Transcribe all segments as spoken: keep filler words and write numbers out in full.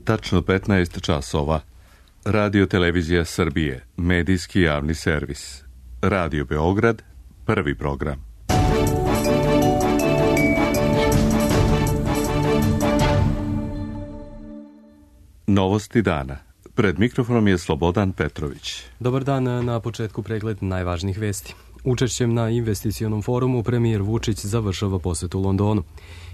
Tačno petnaest časova. Radio Televizija Srbije, medijski javni servis. Radio Beograd, prvi program. Novosti dana. Pred mikrofonom je Slobodan Petrović. Dobar dan, na početku pregled najvažnijih vesti. Učešćem na investicionom forumu premijer Vučić završava posetu Londonu.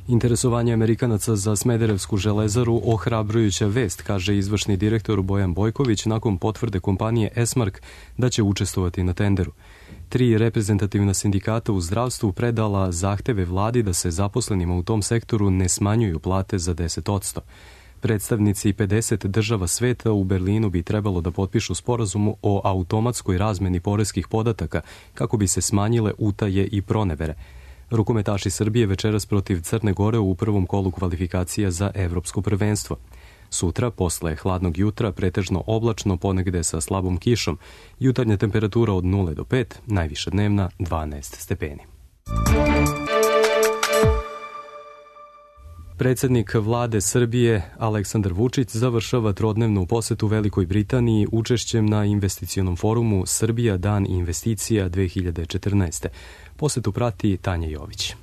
Interesovanje Amerikanaca za Smederevsku železaru ohrabrujuća vest, kaže izvršni direktor Bojan Bojković nakon potvrde kompanije Esmark da će učestvovati na tenderu. Tri reprezentativna sindikata u zdravstvu predala zahteve vladi da se zaposlenima u tom sektoru ne smanjuju plate za deset posto. Predstavnici pedeset država sveta u Berlinu bi trebalo da potpišu sporazum o automatskoj razmeni poreskih podataka kako bi se smanjile utaje i pronevere. Rukometaši Srbije večeras protiv Crne Gore u prvom kolu kvalifikacija za evropsko prvenstvo. Sutra, posle hladnog jutra, pretežno oblačno, ponegde sa slabom kišom. Jutarnja temperatura od nula do pet, najviša dnevna dvanaest stepeni. Predsjednik vlade Srbije Aleksandar Vučić završava trodnevnu posetu Velikoj Britaniji učešćem na investicionom forumu Srbija dan investicija dve hiljade četrnaeste. Posetu prati Tanja Jović.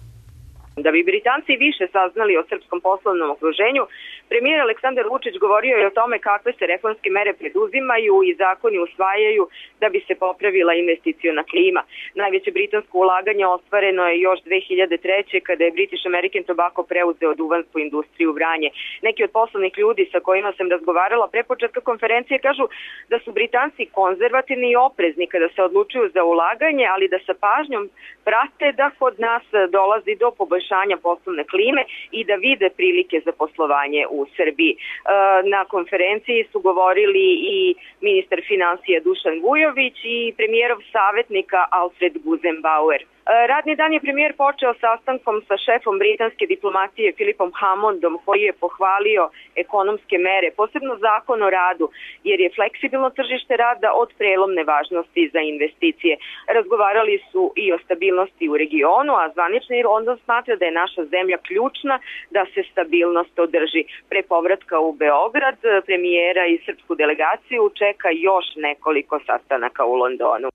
Da bi Britanci više saznali o srpskom poslovnom okruženju, premijer Aleksandar Vučić govorio je o tome kakve se reformske mere preduzimaju i zakoni usvajaju da bi se popravila investiciona klima. Najveće britansko ulaganje ostvareno je još dve hiljade treće. kada je British American Tobacco preuzeo duvansku industriju Vranje. Neki od poslovnih ljudi sa kojima sam razgovarala pre početka konferencije kažu da su Britanci konzervativni i oprezni kada se odlučuju za ulaganje, ali da sa pažnjom prate da kod nas dolazi do poboljšanja poslovne klime i da vide prilike za poslovanje u Srbiji. Na konferenciji su govorili i ministar finansija Dušan Vujović i premijerov savjetnika Alfred Guzenbauer. Radni dan je premijer počeo sastankom sa šefom britanske diplomatije Philipom Hammondom, koji je pohvalio ekonomske mere, posebno zakon o radu, jer je fleksibilno tržište rada od prelomne važnosti za investicije. Razgovarali su i o stabilnosti u regionu, a zvanični London smatra da je naša zemlja ključna da se stabilnost održi. Pre povratka u Beograd premijera i srpsku delegaciju čeka još nekoliko sastanaka u Londonu.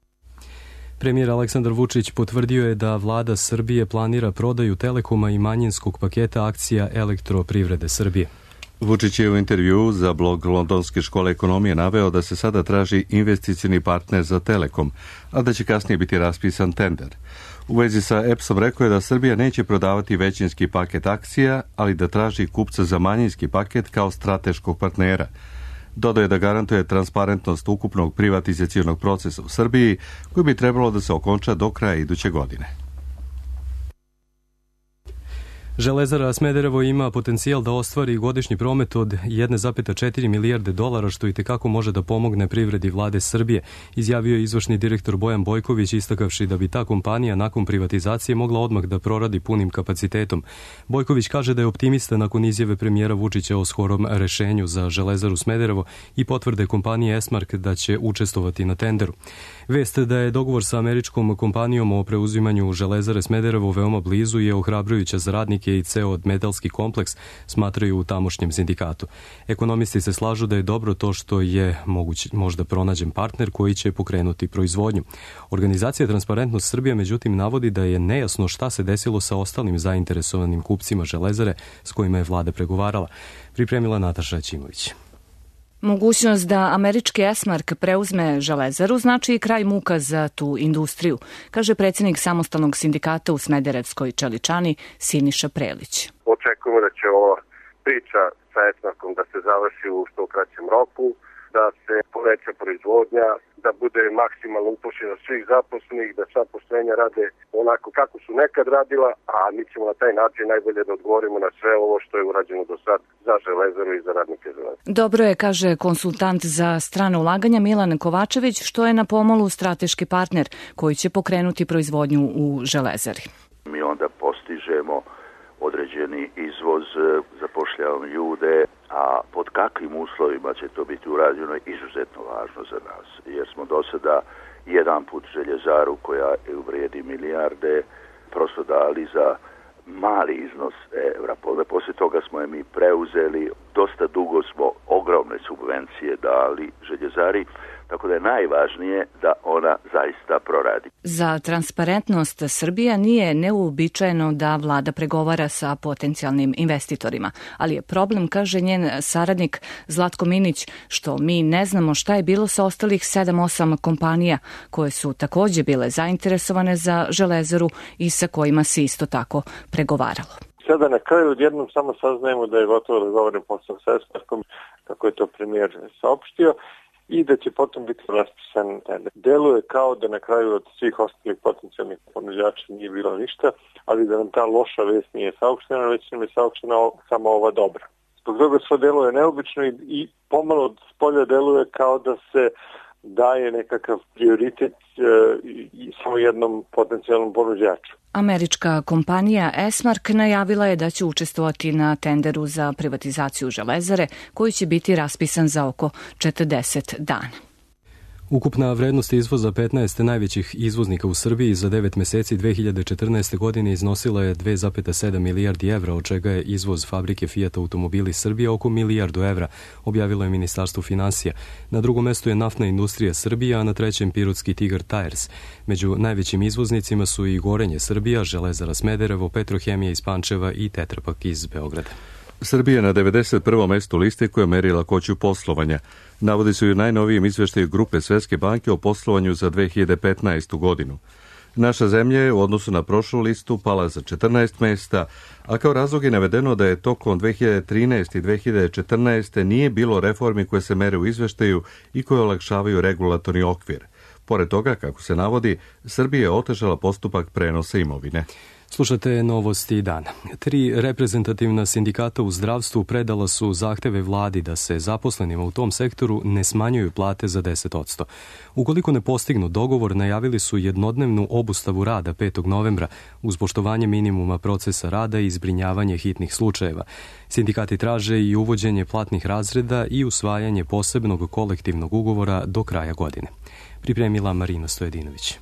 Premijer Aleksandar Vučić potvrdio je da vlada Srbije planira prodaju Telekoma i manjinskog paketa akcija Elektroprivrede Srbije. Vučić je u intervju za blog Londonske škole ekonomije naveo da se sada traži investicioni partner za Telekom, a da će kasnije biti raspisan tender. U vezi sa E P S-om rekao je da Srbija neće prodavati većinski paket akcija, ali da traži kupca za manjinski paket kao strateškog partnera. Dodao je da garantuje transparentnost ukupnog privatizacionog procesa u Srbiji, koji bi trebalo da se okonča do kraja iduće godine. Železara Smederevo ima potencijal da ostvari godišnji promet od jedna zarez četiri milijarde dolara, što i tekako može da pomogne privredi vlade Srbije, izjavio je izvršni direktor Bojan Bojković, istakavši da bi ta kompanija nakon privatizacije mogla odmah da proradi punim kapacitetom. Bojković kaže da je optimista nakon izjave premijera Vučića o skorom rešenju za Železaru Smederevo i potvrde kompanije Esmark da će učestvovati na tenderu. Vest da je dogovor sa američkom kompanijom o preuzimanju Železare Smederevo veoma blizu je ohrabrujuća za radnike i ceo metalski kompleks, smatraju u tamošnjem sindikatu. Ekonomisti se slažu da je dobro to što je moguć, možda pronađen partner koji će pokrenuti proizvodnju. Organizacija Transparentnost Srbije međutim navodi da je nejasno šta se desilo sa ostalim zainteresovanim kupcima Železare s kojima je vlada pregovarala. Pripremila Nataša Ćimović. Mogućnost da američki Esmark preuzme Železaru znači i kraj muka za tu industriju, kaže predsjednik samostalnog sindikata u Smederevskoj čeličani Siniša Prelić. Očekujemo da će ova priča sa Esmarkom da se završi u što kraćem roku, da se poveća proizvodnja, da bude maksimalno upošljeno svih zaposlenih, da sva postrojenja rade onako kako su nekad radila, a mi ćemo na taj način najbolje da odgovorimo na sve ovo što je urađeno do sad za Železaru i za radnike Železare. Dobro je, kaže konsultant za strane ulaganja Milan Kovačević, što je na pomolu strateški partner koji će pokrenuti proizvodnju u Železari. Mi onda postižemo određeni izvoz, zapošljavamo ljude, a pod kakvim uslovima će to biti urađeno je izuzetno važno za nas, jer smo do sada jedan put Željezaru koja vrijedi milijarde prosto dali za mali iznos evra. Poslije toga smo je mi preuzeli, dosta dugo smo ogromne subvencije dali željezari, tako da je najvažnije da ona zaista proradi. Za transparentnost Srbija nije neuobičajeno da vlada pregovara sa potencijalnim investitorima, ali je problem, kaže njen saradnik Zlatko Minić, što mi ne znamo šta je bilo sa ostalih sedam osam kompanija koje su takođe bile zainteresovane za Železaru i sa kojima se isto tako pregovaralo. Sada na kraju odjednom samo saznajemo da je gotovo dogovoren posao sa Esmarkom, kako je to premijer saopštio, i da će potom biti raspisan tender. Deluje kao da na kraju od svih ostalih potencijalnih ponuđača nije bilo ništa, ali da nam ta loša vest nije saopštena, već nam je saopštena samo ova dobra. Zbog toga sve deluje neobično i, i pomalo od spolja deluje kao da se daje nekakav prioritet e, i samo jednom potencijalnom ponuđaču. Američka kompanija Esmark najavila je da će učestvovati na tenderu za privatizaciju Železare, koji će biti raspisan za oko četrdeset dana. Ukupna vrednost izvoza petnaest najvećih izvoznika u Srbiji za devet meseci dve hiljade četrnaeste. godine iznosila je dve zarez sedam milijardi evra, od čega je izvoz fabrike Fiat Automobili Srbije oko milijardu evra, objavilo je Ministarstvo finansija. Na drugom mestu je naftna industrija Srbija, a na trećem Pirotski Tigar Tires. Među najvećim izvoznicima su i Gorenje Srbija, Železara Smederevo, Petrohemija iz Pančeva i Tetra Pak iz Beograda. Srbija je na devedeset prvom mestu liste koja meri lakoću poslovanja. Navodi se i u najnovijem izveštaju Grupe Svetske banke o poslovanju za dve hiljade petnaestu. godinu. Naša zemlja je u odnosu na prošlu listu pala za četrnaest mesta, a kao razlog je navedeno da je tokom dve hiljade trinaeste. i dve hiljade četrnaeste. nije bilo reformi koje se mere u izveštaju i koje olakšavaju regulatorni okvir. Pored toga, kako se navodi, Srbija je otežala postupak prenosa imovine. Slušate novosti dana. Tri reprezentativna sindikata u zdravstvu predala su zahteve vladi da se zaposlenima u tom sektoru ne smanjuju plate za deset posto. Ukoliko ne postignu dogovor, najavili su jednodnevnu obustavu rada petog novembra uz poštovanje minimuma procesa rada i zbrinjavanje hitnih slučajeva. Sindikati traže i uvođenje platnih razreda i usvajanje posebnog kolektivnog ugovora do kraja godine. Pripremila Marina Stojedinović.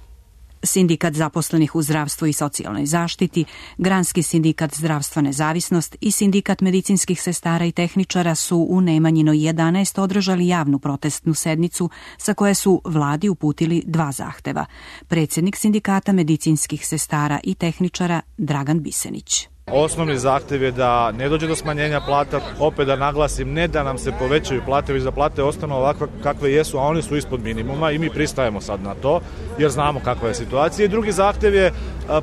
Sindikat zaposlenih u zdravstvu i socijalnoj zaštiti, Granski sindikat Zdravstva nezavisnost i Sindikat medicinskih sestara i tehničara su u Nemanjinoj jedanaest održali javnu protestnu sednicu sa koje su vladi uputili dva zahteva. Predsjednik Sindikata medicinskih sestara i tehničara Dragan Bisenić. Osnovni zahtev je da ne dođe do smanjenja plata, opet da naglasim, ne da nam se povećaju plate, već da plate ostanu ovakve kakve jesu, a oni su ispod minimuma i mi pristajemo sad na to, jer znamo kakva je situacija. I drugi zahtev je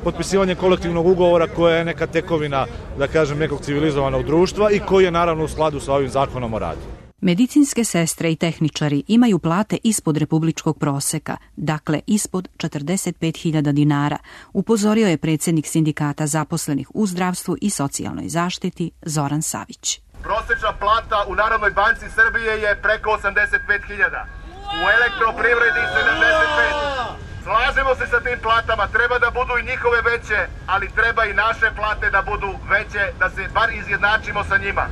potpisivanje kolektivnog ugovora koja je neka tekovina, da kažem, nekog civilizovanog društva i koji je naravno u skladu sa ovim zakonom o radu. Medicinske sestre i tehničari imaju plate ispod republičkog proseka, dakle ispod četrdeset pet hiljada dinara, upozorio je predsjednik sindikata zaposlenih u zdravstvu i socijalnoj zaštiti Zoran Savić. Prosečna plata u Narodnoj banci Srbije je preko osamdeset pet hiljada, u elektroprivredi sedamdeset pet. Slažemo se sa tim platama, treba da budu i njihove veće, ali treba i naše plate da budu veće, da se bar izjednačimo sa njima.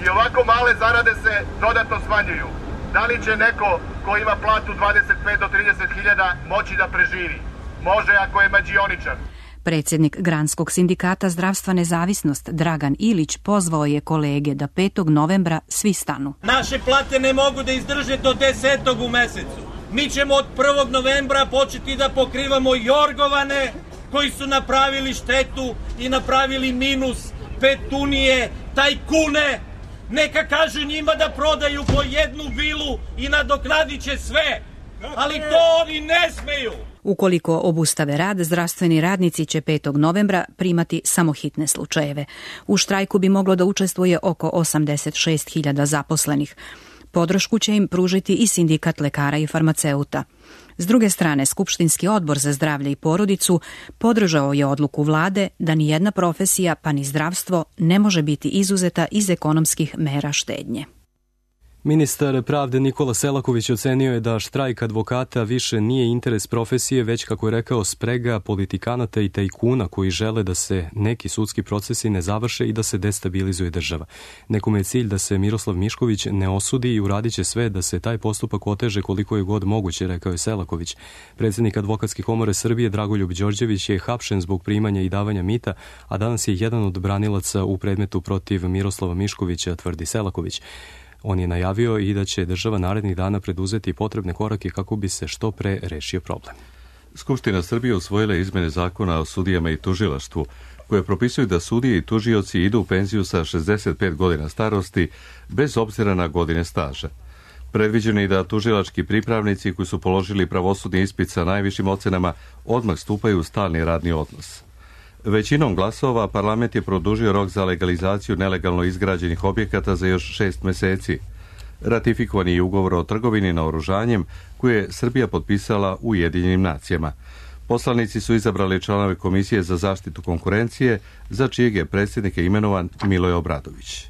I ovako male zarade se dodatno smanjuju. Da li će neko ko ima platu dvadeset pet do trideset hiljada moći da preživi? Može ako je mađioničar. Predsjednik Granskog sindikata Zdravstva nezavisnost Dragan Ilić pozvao je kolege da petog novembra svi stanu. Naše plate ne mogu da izdrže do desetog u mesecu. Mi ćemo od prvog novembra početi da pokrivamo jorgovane koji su napravili štetu i napravili minus, petunije, tajkune. Neka kažu njima da prodaju po jednu vilu i nadoknadit će sve, ali to oni ne smeju. Ukoliko obustave rad, zdravstveni radnici će petog novembra primati samo hitne slučajeve. U štrajku bi moglo da učestvuje oko osamdeset šest hiljada zaposlenih. Podršku će im pružiti i sindikat lekara i farmaceuta. S druge strane, Skupštinski odbor za zdravlje i porodicu podržao je odluku vlade da ni jedna profesija, pa ni zdravstvo, ne može biti izuzeta iz ekonomskih mera štednje. Ministar pravde Nikola Selaković ocenio je da štrajk advokata više nije interes profesije, već, kako je rekao, sprega politikanata i tajkuna koji žele da se neki sudski procesi ne završe i da se destabilizuje država. Nekome je cilj da se Miroslav Mišković ne osudi i uradit će sve da se taj postupak oteže koliko je god moguće, rekao je Selaković. Predsjednik Advokatske komore Srbije Dragoljub Đorđević je hapšen zbog primanja i davanja mita, a danas je jedan od branilaca u predmetu protiv Miroslava Miškovića, tvrdi Selaković. On je najavio i da će država narednih dana preduzeti potrebne korake kako bi se što pre rešio problem. Skupština Srbije usvojila izmene zakona o sudijama i tužilaštvu, koje propisuju da sudije i tužioci idu u penziju sa šezdeset pet godina starosti, bez obzira na godine staža. Predviđeno je da tužilački pripravnici koji su položili pravosudni ispit sa najvišim ocenama odmah stupaju u stalni radni odnos. Većinom glasova parlament je produžio rok za legalizaciju nelegalno izgrađenih objekata za još šest meseci. Ratifikovan je ugovor o trgovini naoružanjem koje je Srbija potpisala u Ujedinjenim nacijama. Poslanici su izabrali članove Komisije za zaštitu konkurencije, za čijeg je predsjednika imenovan Miloje Obradović.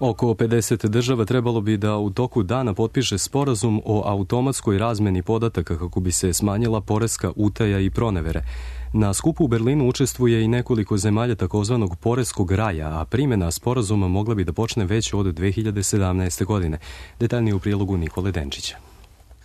Oko pedeset država trebalo bi da u toku dana potpiše sporazum o automatskoj razmeni podataka kako bi se smanjila poreska utaja i pronevere. Na skupu u Berlinu učestvuje i nekoliko zemalja takozvanog poreskog raja, a primjena sporazuma mogla bi da počne već od dve hiljade sedamnaeste. godine. Detaljnije u prilogu Nikole Denčića.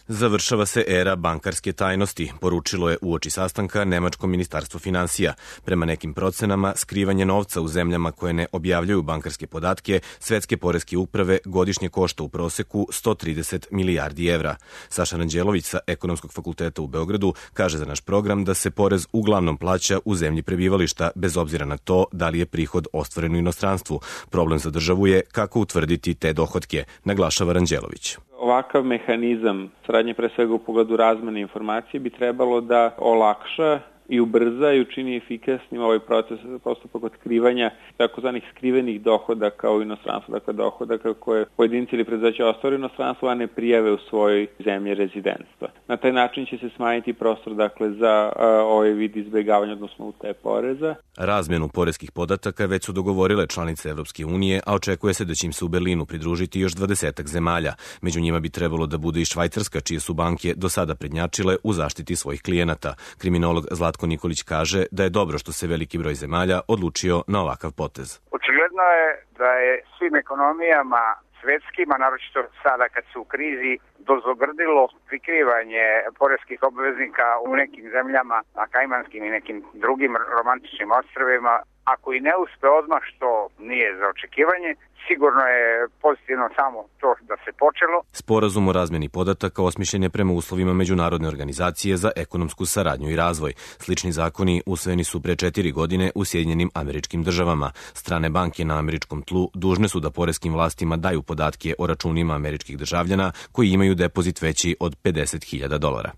Završava se era bankarske tajnosti, poručilo je uoči sastanka Nemačko ministarstvo finansija. Prema nekim procenama, skrivanje novca u zemljama koje ne objavljuju bankarske podatke svetske poreske uprave godišnje košta u proseku sto trideset milijardi evra. Saša Ranđelović sa Ekonomskog fakulteta u Beogradu kaže za naš program da se porez uglavnom plaća u zemlji prebivališta, bez obzira na to da li je prihod ostvaren u inostranstvu. Problem za državu je kako utvrditi te dohotke, naglašava Ranđelović. Ovakav mehanizam saradnje, pre svega u pogledu razmene informacije, bi trebalo da olakša i ubrza i učini efikasnim ovaj proces, postupak otkrivanja takozvanih skrivenih dohodaka u inostranstvu, dakle dohodaka koje pojedinci ili preduzeća ostvare u inostranstvu, a ne prijave u svojoj zemlji rezidentstva. Na taj način će se smanjiti prostor, dakle, za a, ovaj vid izbjegavanja, odnosno utaje poreza. Razmenu poreskih podataka već su dogovorile članice Evropske unije, a očekuje se da će im se u Berlinu pridružiti još dvadesetak zemalja. Među njima bi trebalo da bude i Švajcarska, čije su banke do sada prednjačile u zaštiti svojih klijenata. Kriminolog Zlatko Nikolić kaže da je dobro što se veliki broj zemalja odlučio na ovakav potez. Očigledno je da je svim ekonomijama svetskim, a naročito sada kad su u krizi, dozobrdilo prikrivanje poreskih obveznika u nekim zemljama, na Kajmanskim i nekim drugim romantičnim ostrvima. Ako i ne uspe odmah, što nije za očekivanje, sigurno je pozitivno samo to da se počelo. Sporazum o razmeni podataka osmišljen je prema uslovima Međunarodne organizacije za ekonomsku saradnju i razvoj. Slični zakoni usvojeni su pre četiri godine u Sjedinjenim Američkim Državama. Strane banke na američkom tlu dužne su da poreskim vlastima daju podatke o računima američkih državljana koji imaju depozit veći od pedeset hiljada dolara.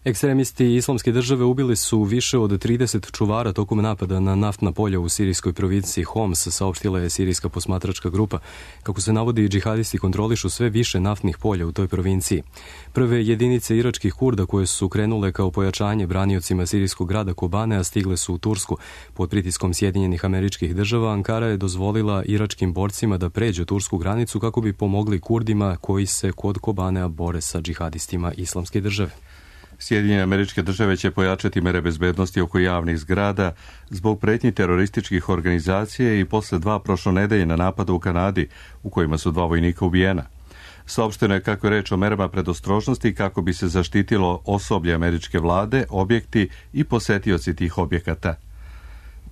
Ekstremisti Islamske države ubili su više od trideset čuvara tokom napada na naftna polja u sirijskoj provinciji Homs, saopštila je sirijska posmatračka grupa. Kako se navodi, džihadisti kontrolišu sve više naftnih polja u toj provinciji. Prve jedinice iračkih Kurda koje su krenule kao pojačanje braniocima sirijskog grada Kobane, a stigle su u Tursku. Pod pritiskom Sjedinjenih Američkih Država, Ankara je dozvolila iračkim borcima da pređu tursku granicu kako bi pomogli Kurdima koji se kod Kobanea bore sa džihadistima Islamske države. Sjedinjene Američke Države će pojačati mere bezbednosti oko javnih zgrada zbog pretnji terorističkih organizacija i posle dva prošlonedeljna napada u Kanadi, u kojima su dva vojnika ubijena. Saopšteno je kako je reč o merama predostrožnosti kako bi se zaštitilo osoblje američke vlade, objekti i posetioci tih objekata.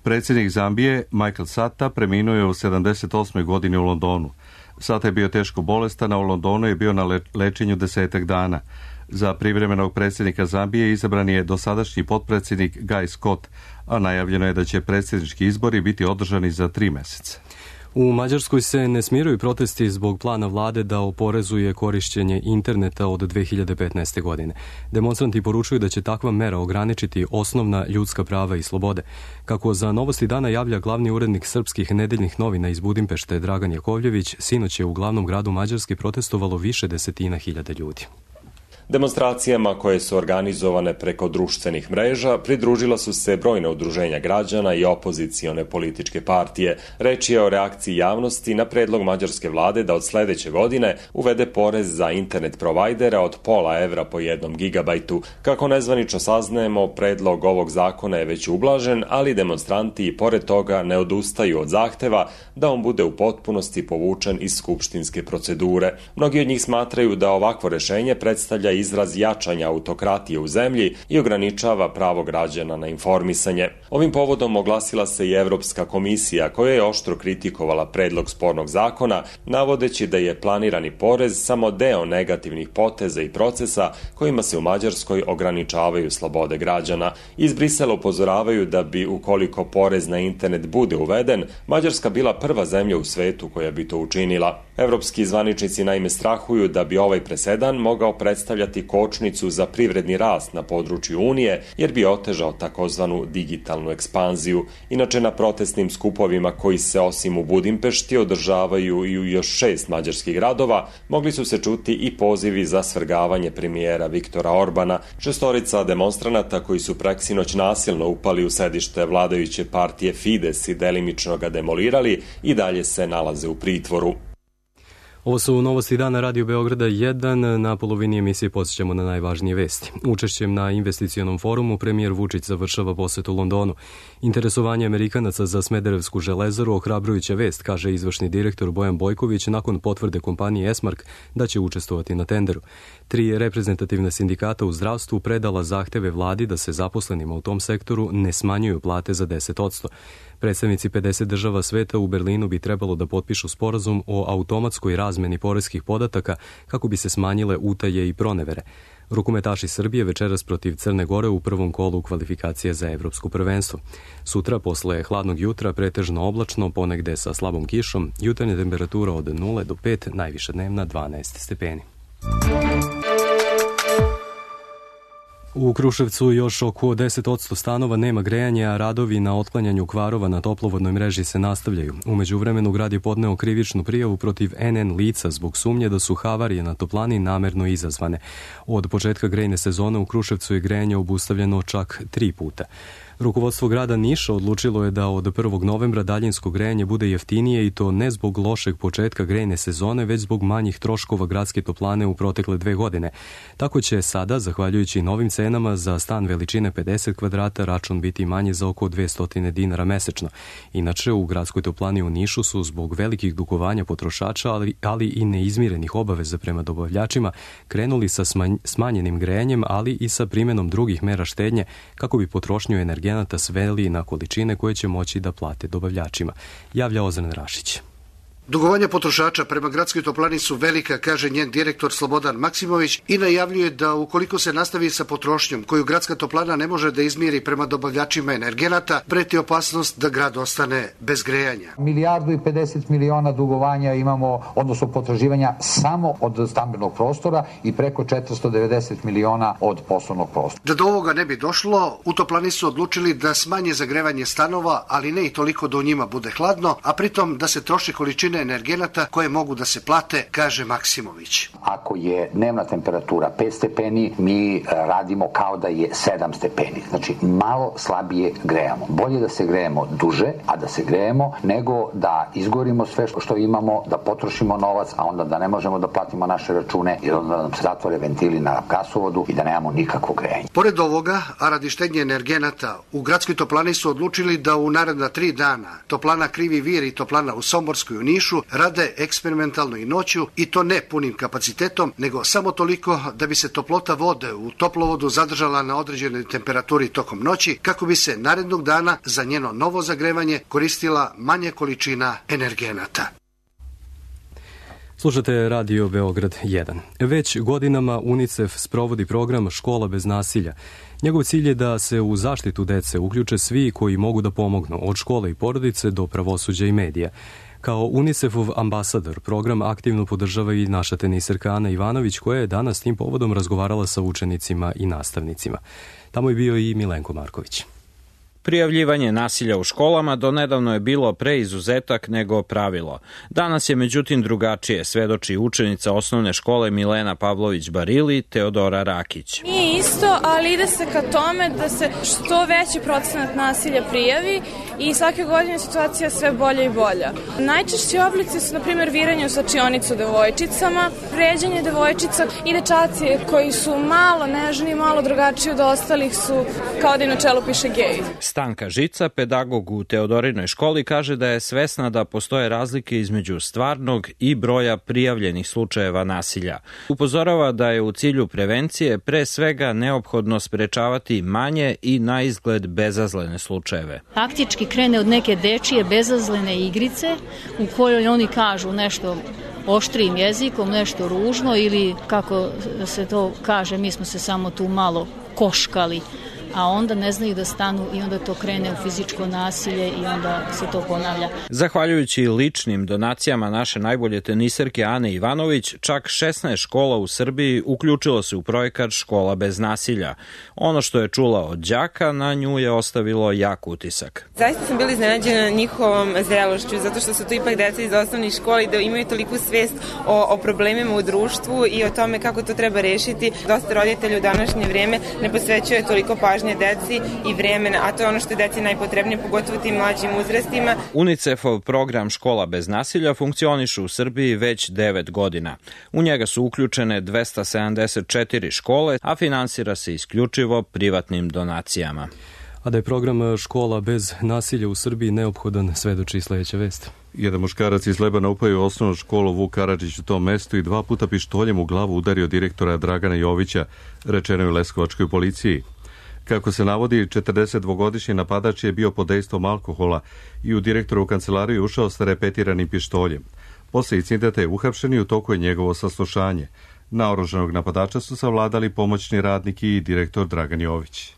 Predsjednik Zambije, Michael Sata, preminuo je u sedamdeset osmoj godini u Londonu. Sata je bio teško bolestan, a u Londonu je bio na lečenju desetak dana. Za privremenog predsjednika Zambije izabran je dosadašnji potpredsjednik Guy Scott, a najavljeno je da će predsjednički izbori biti održani za tri meseca. U Mađarskoj se ne smiruju protesti zbog plana vlade da oporezuje korišćenje interneta od dve hiljade petnaeste. godine. Demonstranti poručuju da će takva mera ograničiti osnovna ljudska prava i slobode. Kako za Novosti dana javlja glavni urednik srpskih nedeljnih novina iz Budimpešte Dragan Jakovljević, sinoć je u glavnom gradu Mađarske protestovalo više desetina hiljada ljudi. Demonstracijama koje su organizovane preko društvenih mreža pridružila su se brojna udruženja građana i opozicione političke partije. Reč je o reakciji javnosti na predlog mađarske vlade da od sledeće godine uvede porez za internet provajdera od pola evra po jednom gigabajtu. Kako nezvanično saznajemo, predlog ovog zakona je već ublažen, ali demonstranti i pored toga ne odustaju od zahteva da on bude u potpunosti povučen iz skupštinske procedure. Mnogi od njih smatraju da ovakvo rešenje predstavlja izraz jačanja autokratije u zemlji i ograničava pravo građana na informisanje. Ovim povodom oglasila se i Evropska komisija koja je oštro kritikovala predlog spornog zakona, navodeći da je planirani porez samo deo negativnih poteza i procesa kojima se u Mađarskoj ograničavaju slobode građana. Iz Brisela upozoravaju da bi, ukoliko porez na internet bude uveden, Mađarska bila prva zemlja u svetu koja bi to učinila. Evropski zvaničnici naime strahuju da bi ovaj presedan mogao predstavljati kočnicu za privredni rast na području Unije, jer bi otežao takozvanu digitalnu ekspanziju. Inače, na protestnim skupovima koji se osim u Budimpešti održavaju i u još šest mađarskih gradova, mogli su se čuti i pozivi za svrgavanje premijera Viktora Orbana. Šestorica demonstranata koji su preksinoć nasilno upali u sedište vladajuće partije Fides i delimično ga demolirali i dalje se nalaze u pritvoru. Ovo su novosti dana Radio Beograda jedan. Na polovini emisije podsjećamo na najvažnije vesti. Učešćem na investicionom forumu premijer Vučić završava posetu Londonu. Interesovanje Amerikanaca za Smederevsku železaru ohrabrujuća vest, kaže izvršni direktor Bojan Bojković nakon potvrde kompanije Esmark da će učestvovati na tenderu. Tri reprezentativna sindikata u zdravstvu predala zahteve vladi da se zaposlenima u tom sektoru ne smanjuju plate za deset posto. Predstavnici pedeset država sveta u Berlinu bi trebalo da potpišu sporazum o automatskoj razmeni poreskih podataka kako bi se smanjile utaje i pronevere. Rukometaši Srbije večeras protiv Crne Gore u prvom kolu kvalifikacije za evropsko prvenstvo. Sutra, posle hladnog jutra, pretežno oblačno, ponegde sa slabom kišom, jutarnja temperatura od nula do pet, najviša dnevna dvanaest stepeni. U Kruševcu još oko deset posto stanova nema grejanja, a radovi na otklanjanju kvarova na toplovodnoj mreži se nastavljaju. U međuvremenu grad je podneo krivičnu prijavu protiv en en lica zbog sumnje da su havarije na toplani namerno izazvane. Od početka grejne sezone u Kruševcu je grejanje obustavljeno čak tri puta. Rukovodstvo grada Niša odlučilo je da od prvog novembra daljinsko grejanje bude jeftinije i to ne zbog lošeg početka grejne sezone, već zbog manjih troškova gradske toplane u protekle dve godine. Tako će sada, zahvaljujući novim cenama, za stan veličine pedeset kvadrata račun biti manji za oko dvesta dinara mesečno. Inače, u gradskoj toplani u Nišu su zbog velikih dugovanja potrošača, ali, ali i neizmirenih obaveza prema dobavljačima, krenuli sa smanjenim grejanjem, ali i sa primenom drugih mera štednje kako bi potrošnju energenata sveli na količine koje će moći da plate dobavljačima, javlja Ozren Rašić. Dugovanja potrošača prema gradskoj toplani su velika, kaže njen direktor Slobodan Maksimović i najavljuje da ukoliko se nastavi sa potrošnjom koju gradska toplana ne može da izmiri prema dobavljačima energenata, preti opasnost da grad ostane bez grejanja. Milijardu i pedeset miliona dugovanja imamo, odnosno potraživanja samo od stambenog prostora i preko četiristo devedeset miliona od poslovnog prostora. Da do ovoga ne bi došlo, u toplani su odlučili da smanje zagrevanje stanova, ali ne i toliko da u njima bude hladno, a pritom da se troši količine energenata koje mogu da se plate, kaže Maksimović. Ako je dnevna temperatura pet stepeni, mi radimo kao da je sedam stepeni. Znači, malo slabije grejamo. Bolje da se grejemo duže, a da se grejemo, nego da izgorimo sve što imamo, da potrošimo novac, a onda da ne možemo da platimo naše račune i onda nam se zatvore ventili na gasovodu i da nemamo nikakvo grejanje. Pored ovoga, a radi štednje energenata, u gradskoj toplani su odlučili da u naredna tri dana toplana Krivi Vir i toplana u Somborskoj u Nišu rade eksperimentalno i noću i to ne punim kapacitetom, nego samo toliko da bi se toplota vode u toplovodu zadržala na određenoj temperaturi tokom noći, kako bi se narednog dana za njeno novo zagrevanje koristila manja količina energenata. Slušate Radio Beograd jedan. Već godinama UNICEF sprovodi program Škola bez nasilja. Njegov cilj je da se u zaštitu dece uključe svi koji mogu da pomognu, od škole i porodice do pravosuđa i medija. Kao UNICEF-ov ambasador, program aktivno podržava i naša teniserka Ana Ivanović, koja je danas tim povodom razgovarala sa učenicima i nastavnicima. Tamo je bio i Milenko Marković. Prijavljivanje nasilja u školama donedavno je bilo pre izuzetak nego pravilo. Danas je međutim drugačije, svedoči učenica osnovne škole Milena Pavlović-Barili, Teodora Rakić. Nije isto, ali ide se ka tome da se što veći procenat nasilja prijavi i svake godine situacija sve bolja i bolja. Najčešći oblici su, na primjer, viranje u slačionicu devojčicama, vređanje devojčica i dečaci koji su malo nežni, malo drugačiji od ostalih su kao da im na čelu piše gej. Stanka Žica, pedagog u Teodorinoj školi, kaže da je svesna da postoje razlike između stvarnog i broja prijavljenih slučajeva nasilja. Upozorava da je u cilju prevencije pre svega neophodno sprečavati manje i na izgled bezazlene slučajeve. Faktički krene od neke dečije bezazlene igrice u kojoj oni kažu nešto oštrijim jezikom, nešto ružno ili kako se to kaže, mi smo se samo tu malo koškali, a onda ne znaju da stanu i onda to krene u fizičko nasilje i onda se to ponavlja. Zahvaljujući ličnim donacijama naše najbolje teniserke Ane Ivanović, čak šesnaest škola u Srbiji uključilo se u projekat Škola bez nasilja. Ono što je čula od đaka na nju je ostavilo jak utisak. Zaista sam bila iznenađena njihovom zrelošću, zato što su to ipak deca iz osnovnih škola i da imaju toliku svest o, o problemima u društvu i o tome kako to treba rešiti. Dosta roditelja u današnje vreme ne posvećuje toliko pažnje deci i vremena, a to je ono što je deci najpotrebnije, pogotovo tim mlađim uzrastima. UNICEF-ov program Škola bez nasilja funkcioniše u Srbiji već devet godina. U njega su uključene dvesta sedamdeset četiri škole, a finansira se isključivo privatnim donacijama. A da je program Škola bez nasilja u Srbiji neophodan, svedoči sledeća vest. Jedan muškarac iz Lebana upao u osnovnu školu Vuk Karadžić u tom mestu i dva puta pištoljem u glavu udario direktora Dragana Jovića, rečeno je u Leskovačkoj policiji. Kako se navodi, četrdesetdvogodišnji napadač je bio pod dejstvom alkohola i u direktorovu kancelariju ušao sa repetiranim pištoljem. Posle incidenta je uhapšen i u toku je njegovo saslušanje. Naoružanog napadača su savladali pomoćni radnik i direktor Dragan Jović.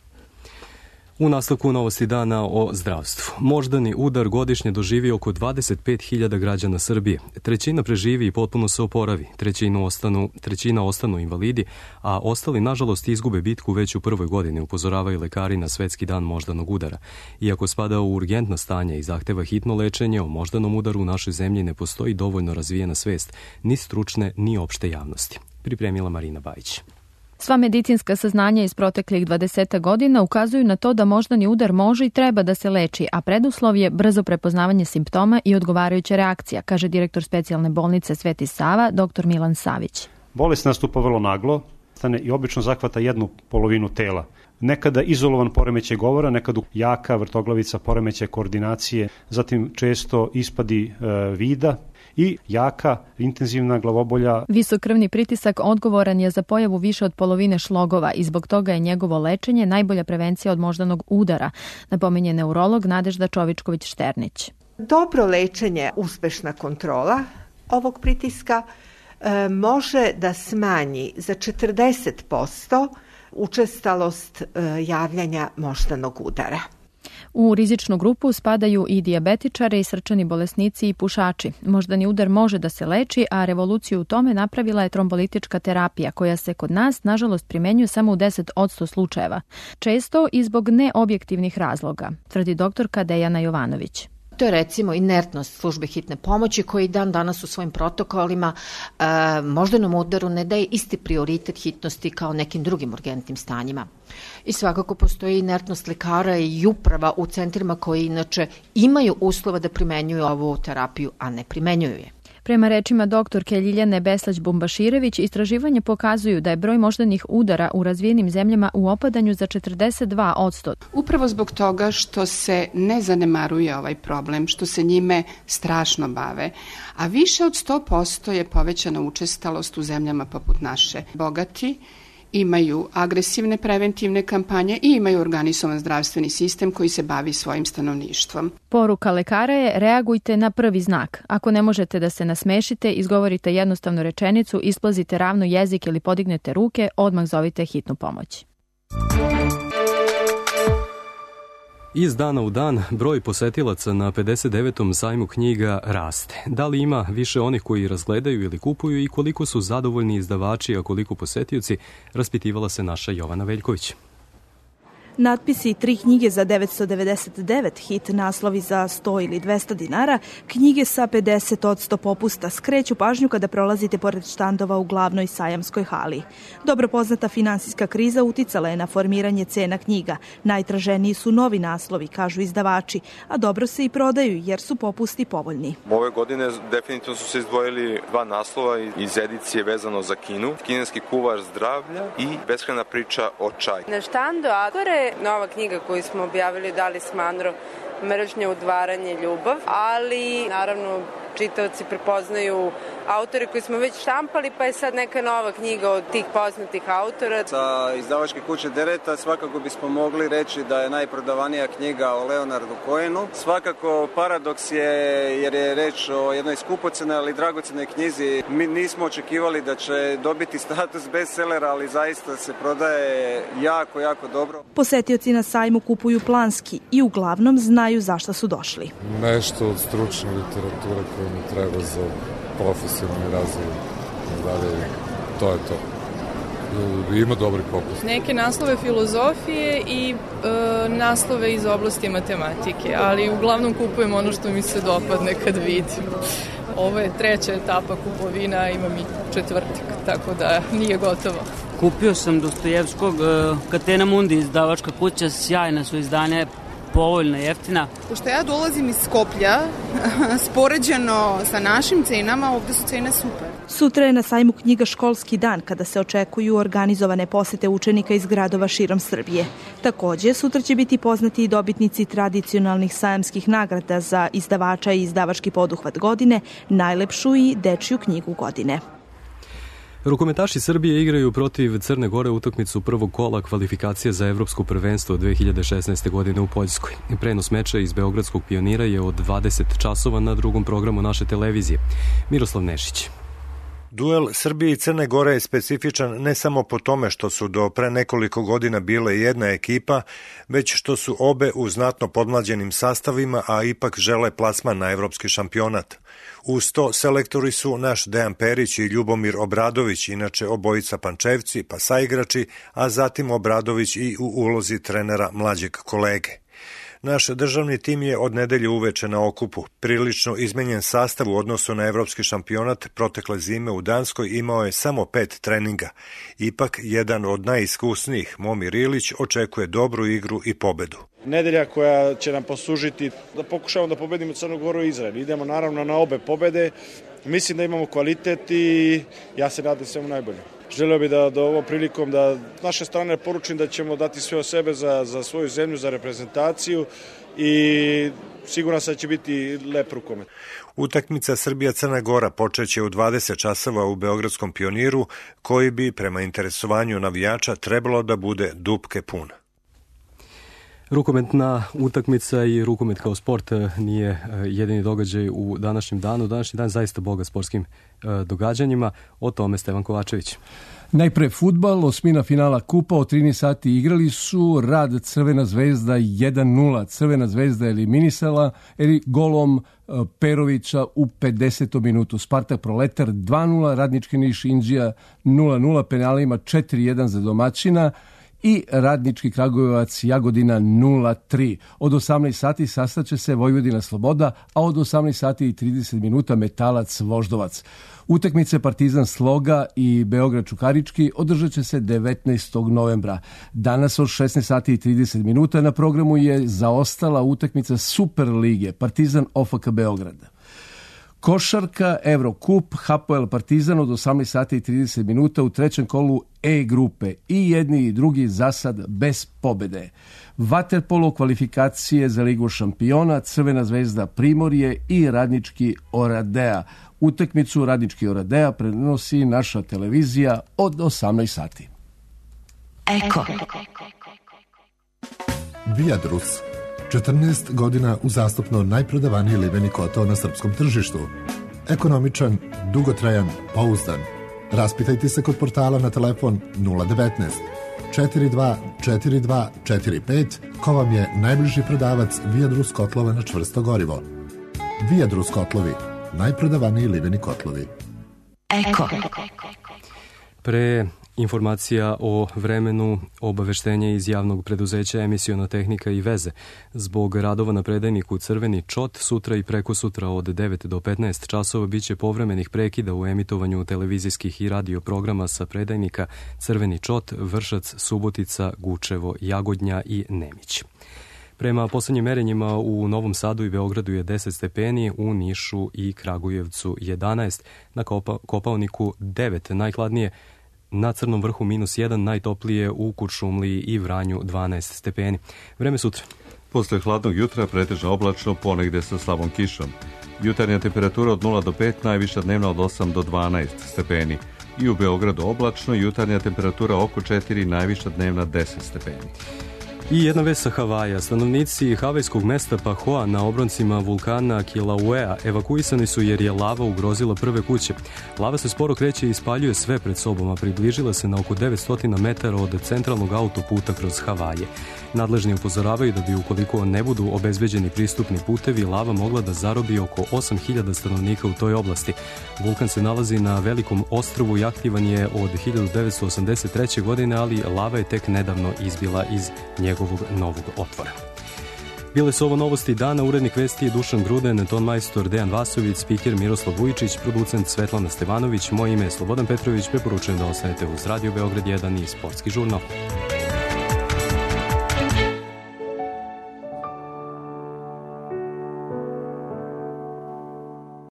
U nastavku novosti dana o zdravstvu. Moždani udar godišnje doživi oko dvadeset pet hiljada građana Srbije. Trećina preživi i potpuno se oporavi. Trećinu ostanu, trećina ostanu invalidi, a ostali, nažalost, izgube bitku već u prvoj godini, upozoravaju lekari na Svetski dan moždanog udara. Iako spada u urgentna stanja i zahteva hitno lečenje, o moždanom udaru u našoj zemlji ne postoji dovoljno razvijena svest, ni stručne, ni opšte javnosti. Pripremila Marina Bajić. Sva medicinska saznanja iz proteklih dvadeset godina ukazuju na to da moždani udar može i treba da se leči, a preduslov je brzo prepoznavanje simptoma i odgovarajuća reakcija, kaže direktor specijalne bolnice Sveti Sava, dr Milan Savić. Bolest nastupa vrlo naglo, stane i obično zahvata jednu polovinu tela. Nekada izolovan poremećaj govora, nekada jaka vrtoglavica, poremećaj koordinacije, zatim često ispadi e, vida i jaka, intenzivna glavobolja. Visok krvni pritisak odgovoran je za pojavu više od polovine šlogova i zbog toga je njegovo lečenje najbolja prevencija od moždanog udara, napominje neurolog Nadežda Čovičković-Šternić. Dobro lečenje, uspešna kontrola ovog pritiska e, može da smanji za četrdeset posto učestalost e, javljanja moždanog udara. U rizičnu grupu spadaju i dijabetičari, i srčani bolesnici i pušači. Moždani udar može da se leči, a revoluciju u tome napravila je trombolitička terapija, koja se kod nas, nažalost, primenjuje samo u deset posto slučajeva. Često i zbog neobjektivnih razloga, tvrdi doktorka Dejana Jovanović. To je recimo inertnost službe hitne pomoći koji dan danas u svojim protokolima e, moždanom udaru ne daje isti prioritet hitnosti kao nekim drugim urgentnim stanjima. I svakako postoji inertnost lekara i uprava u centrima koji inače imaju uslova da primenjuju ovu terapiju, a ne primenjuju je. Prema rečima doktorke Ljiljane Beslać-Bumbaširević, istraživanje pokazuju da je broj moždanih udara u razvijenim zemljama u opadanju za četrdeset dva posto. Upravo zbog toga što se ne zanemaruje ovaj problem, što se njime strašno bave, a više od sto posto je povećana učestalost u zemljama poput naše. Bogati imaju agresivne preventivne kampanje i imaju organizovan zdravstveni sistem koji se bavi svojim stanovništvom. Poruka lekara je: reagujte na prvi znak. Ako ne možete da se nasmešite, izgovorite jednostavnu rečenicu, isplazite ravno jezik ili podignete ruke, odmah zovite hitnu pomoć. Iz dana u dan broj posetilaca na pedeset devetom sajmu knjiga raste. Da li ima više onih koji razgledaju ili kupuju i koliko su zadovoljni izdavači, a koliko posetioci, raspitivala se naša Jovana Veljković. Natpisi tri knjige za devetsto devedeset devet, hit naslovi za sto ili dvesta dinara, knjige sa pedeset posto popusta skreću pažnju kada prolazite pored štandova u glavnoj sajamskoj hali. Dobro poznata finansijska kriza uticala je na formiranje cena knjiga. Najtraženiji su novi naslovi, kažu izdavači, a dobro se i prodaju jer su popusti povoljni. Ove godine definitivno su se izdvojili dva naslova iz edicije vezano za Kinu. Kineski kuvar zdravlja i beskrajna priča o čaju. Na štandu Agore nova knjiga koju smo objavili Dali Smandro, Mržnja, udvaranje, ljubav, ali naravno čitaoci prepoznaju autore koji smo već štampali, pa je sad neka nova knjiga od tih poznatih autora. Sa izdavačke kuće Dereta svakako bismo mogli reći da je najprodavanija knjiga o Leonardu Cohenu. Svakako paradoks je jer je reč o jednoj skupocenoj, ali dragocenoj knjizi. Mi nismo očekivali da će dobiti status bestsellera, ali zaista se prodaje jako, jako dobro. Posetioci na sajmu kupuju planski i uglavnom znaju zašto su došli. Nešto od stručne literature koje mi treba za profesionalni razvoj. Dalje, to je to. Ima dobri popust. Neke naslove filozofije i e, naslove iz oblasti matematike, ali uglavnom kupujem ono što mi se dopadne kad vidim. Ovo je treća etapa kupovina, imam i četvrtak, tako da nije gotovo. Kupio sam Dostojevskog, Catena Mundi, izdavačka kuća, sjajna su izdanja, povoljna, jeftina. Pošto ja dolazim iz Skoplja, spoređeno sa našim cenama, ovde su cene super. Sutra je na sajmu knjiga Školski dan, kada se očekuju organizovane posete učenika iz gradova širom Srbije. Takođe, sutra će biti poznati i dobitnici tradicionalnih sajamskih nagrada za izdavača i izdavački poduhvat godine, najlepšu i dečiju knjigu godine. Rukometaši Srbije igraju protiv Crne Gore utakmicu prvog kola kvalifikacije za evropsko prvenstvo dve hiljade šesnaeste. godine u Poljskoj. Prenos meča iz Beogradskog Pionira je od dvadeset časova na drugom programu naše televizije. Miroslav Nešić. Duel Srbije i Crne Gore je specifičan ne samo po tome što su do pre nekoliko godina bile jedna ekipa, već što su obe u znatno podmlađenim sastavima, a ipak žele plasman na evropski šampionat. Uz to selektori su naš Dejan Perić i Ljubomir Obradović, inače obojica Pančevci, pa saigrači, a zatim Obradović i u ulozi trenera mlađeg kolege. Naš državni tim je od nedelje uveče na okupu. Prilično izmenjen sastav u odnosu na evropski šampionat protekle zime u Danskoj imao je samo pet treninga. Ipak, jedan od najiskusnijih, Momir Ilić, očekuje dobru igru i pobedu. Nedelja koja će nam poslužiti da pokušamo da pobedimo Crnu Goru i Izrael. Idemo naravno na obe pobede. Mislim da imamo kvalitet i ja se nadam svemu najbolje. Želeo bih da, da ovom prilikom da naše strane poručim da ćemo dati sve od sebe za, za svoju zemlju, za reprezentaciju i siguran sam da će biti lep rukomet. Utakmica Srbija-Crna Gora počeće u dvadeset časova u Beogradskom Pioniru, koji bi prema interesovanju navijača trebalo da bude dupke pun. Rukometna utakmica i rukomet kao sport nije jedini događaj u današnjem danu. Današnji dan zaista bogat sportskim događanjima. O tome Stevan Kovačević. Najpre fudbal, osmina finala kupa, od trinaest sati igrali su Rad Crvena zvezda jedan nula. Crvena zvezda eliminisala eli golom Perovića u pedesetom minutu. Spartak Proletar dva nula, Radnički Niš Inđija nula nula, penalima četiri jedan za domaćina i Radnički Kragujevac Jagodina nula tri. Od osamnaest sati sastaće se Vojvodina Sloboda, a od osamnaest sati i trideset minuta Metalac Voždovac. Utakmice Partizan Sloga i Beograd Čukarički održat će se devetnaestog novembra. Danas od šesnaest sati i trideset minuta na programu je zaostala utakmica Super lige Partizan O F K Beograd. Košarka, Evrokup, Hapoel Partizan od osamnaest sati i trideset minuta u trećem kolu E grupe. I jedni i drugi za sad bez pobede. Vaterpolo kvalifikacije za Ligu šampiona, Crvena zvezda Primorje i Radnički Oradea. Utakmicu Radnički Oradea prenosi naša televizija od osamnaest sati. Eko. Viadrus. četrnaest godina uzastopno najprodavaniji liveni kotao na srpskom tržištu. Ekonomičan, dugotrajan, pouzdan. Raspitajte se kod portala na telefon nula devetnaest četiri dva četiri dva četiri pet ko vam je najbliži prodavac Viadrus kotlova na čvrsto gorivo. Viadrus kotlovi, najprodavaniji liveni kotlovi. Eko. Pre Informacija o vremenu, obaveštenje iz javnog preduzeća Emisiona tehnika i veze. Zbog radova na predajniku Crveni čot, sutra i prekosutra od devet do petnaest časova biće povremenih prekida u emitovanju televizijskih i radio programa sa predajnika Crveni čot, Vršac, Subotica, Gučevo, Jagodnja i Nemić. Prema poslednjim merenjima u Novom Sadu i Beogradu je deset stepeni, u Nišu i Kragujevcu jedanaest, na Kopa, Kopaoniku devet, najhladnije na Crnom vrhu minus jedan, najtoplije u Kuršumliji i Vranju dvanaest stepeni. Vreme sutra. Posle hladnog jutra pretežno oblačno, ponegde sa slabom kišom. Jutarnja temperatura od nula do pet, najviša dnevna od osam do dvanaest stepeni. I u Beogradu oblačno, jutarnja temperatura oko četiri, najviša dnevna deset stepeni. I jedna vest sa Havaja. Stanovnici havajskog mesta Pahoa na obroncima vulkana Kilauea evakuisani su jer je lava ugrozila prve kuće. Lava se sporo kreće i ispaljuje sve pred sobom, a približila se na oko devetsto metara od centralnog autoputa kroz Havaje. Nadležni upozoravaju da bi, ukoliko ne budu obezbeđeni pristupni putevi, lava mogla da zarobi oko osam hiljada stanovnika u toj oblasti. Vulkan se nalazi na velikom ostrvu i aktivan je od hiljadu devetsto osamdeset treće. godine, ali lava je tek nedavno izbila iz njegovog novog otvora. Bile su ovo novosti dana, urednik vesti je Dušan Gruden, ton majstor Dejan Vasović, spiker Miroslav Vujičić, producent Svetlana Stevanović, moje ime je Slobodan Petrović, preporučujem da ostanete uz Radio Beograd jedan i Sportski žurnal.